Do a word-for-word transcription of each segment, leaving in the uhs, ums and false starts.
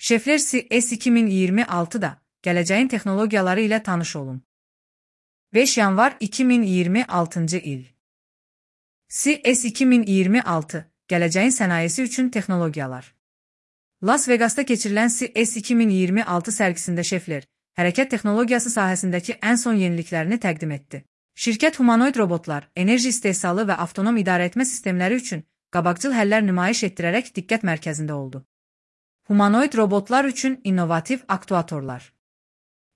Şefler C E S iki min iyirmi altıda gələcəyin texnologiyaları ilə tanış olun. beş yanvar iki min iyirmi altıncı il. C E S iki min iyirmi altı gələcəyin sənayesi üçün texnologiyalar. Las Vegas'ta keçirilən C E S iki min iyirmi altı sərgisində şeflər hərəkət texnologiyası sahəsindəki ən son yeniliklərini təqdim etdi. Şirkət humanoid robotlar, enerji istehsalı və avtonom idarəetmə sistemləri üçün qabaqcıl həllər nümayiş etdirərək diqqət mərkəzində oldu. Humanoid robotlar üçün innovativ aktuatorlar.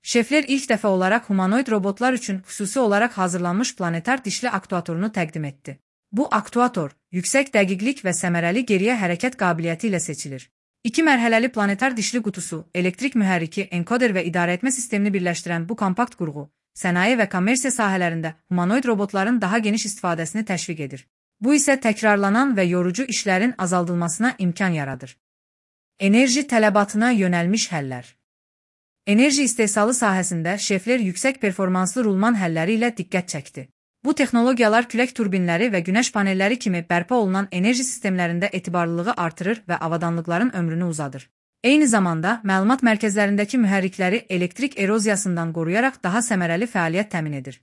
Şeflər ilk dəfə olaraq humanoid robotlar üçün xüsusi olaraq hazırlanmış planetar dişli aktuatorunu təqdim etdi. Bu aktuator, yüksək dəqiqlik və səmərəli geriyə hərəkət qabiliyyəti ilə seçilir. İki mərhələli planetar dişli qutusu, elektrik mühərriki, enkoder və idarəetmə sistemini birləşdirən bu kompakt qurğu, sənaye və kommersiya sahələrində humanoid robotların daha geniş istifadəsini təşviq edir. Bu isə təkrarlanan və yorucu işlərin azaldılmasına imkan yaradır. Enerji tələbatına yönəlmiş həllər. Enerji istehsalı sahəsində şeflər yüksək performanslı rulman həlləri ilə diqqət çəkdi. Bu texnologiyalar külək turbinləri və günəş panelləri kimi bərpa olunan enerji sistemlərində etibarlılığı artırır və avadanlıqların ömrünü uzadır. Eyni zamanda, məlumat mərkəzlərindəki mühərrikləri elektrik eroziyasından qoruyaraq daha səmərəli fəaliyyət təmin edir.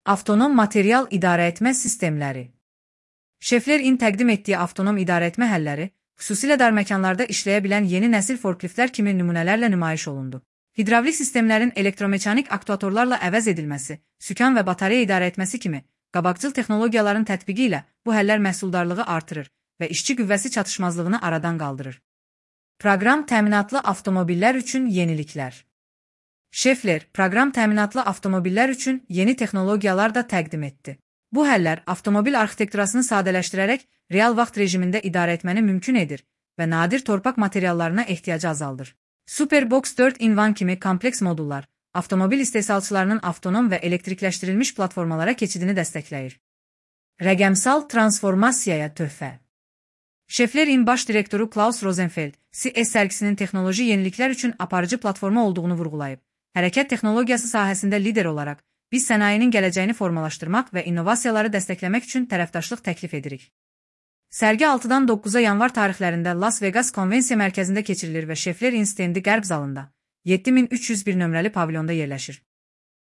Avtonom material idarəetmə sistemləri. Şeflerin təqdim etdiyi avtonom idarəetmə həlləri, xüsusilə dar məkanlarda işləyə bilən yeni nəsil forkliftlər kimi nümunələrlə nümayiş olundu. Hidravlik sistemlərin elektromechanik aktuatorlarla əvəz edilməsi, sükan və batareya idarəetməsi kimi qabaqcıl texnologiyaların tətbiqi ilə bu həllər məhsuldarlığı artırır və işçi qüvvəsi çatışmazlığını aradan qaldırır. Proqram təminatlı avtomobillər üçün yeniliklər. Şefler, proqram təminatlı avtomobillər üçün yeni texnologiyalar da təqdim etdi. Bu həllər avtomobil arxitekturasını sadələşdirərək real vaxt rejimində idarəetməni mümkün edir və nadir torpaq materiallarına ehtiyacı azaldır. Superbox dörd in bir kimi kompleks modullar, avtomobil istehsalçılarının avtonom və elektrikləşdirilmiş platformalara keçidini dəstəkləyir. Rəqəmsal transformasiyaya töhfə. Şeflerin baş direktoru Klaus Rosenfeld, C E S sərgisinin texnoloji yeniliklər üçün aparıcı platforma olduğunu vurğulayıb. Hərəkət texnologiyası sahəsində lider olaraq, biz sənayenin gələcəyini formalaşdırmaq və innovasiyaları dəstəkləmək üçün tərəfdaşlıq təklif edirik. Sərgi altıdan doqquza yanvar tarixlərində Las Vegas konvensiya mərkəzində keçirilir və şeflerin stendi qərb zalında, yeddi min üç yüz bir nömrəli pavilyonda yerləşir.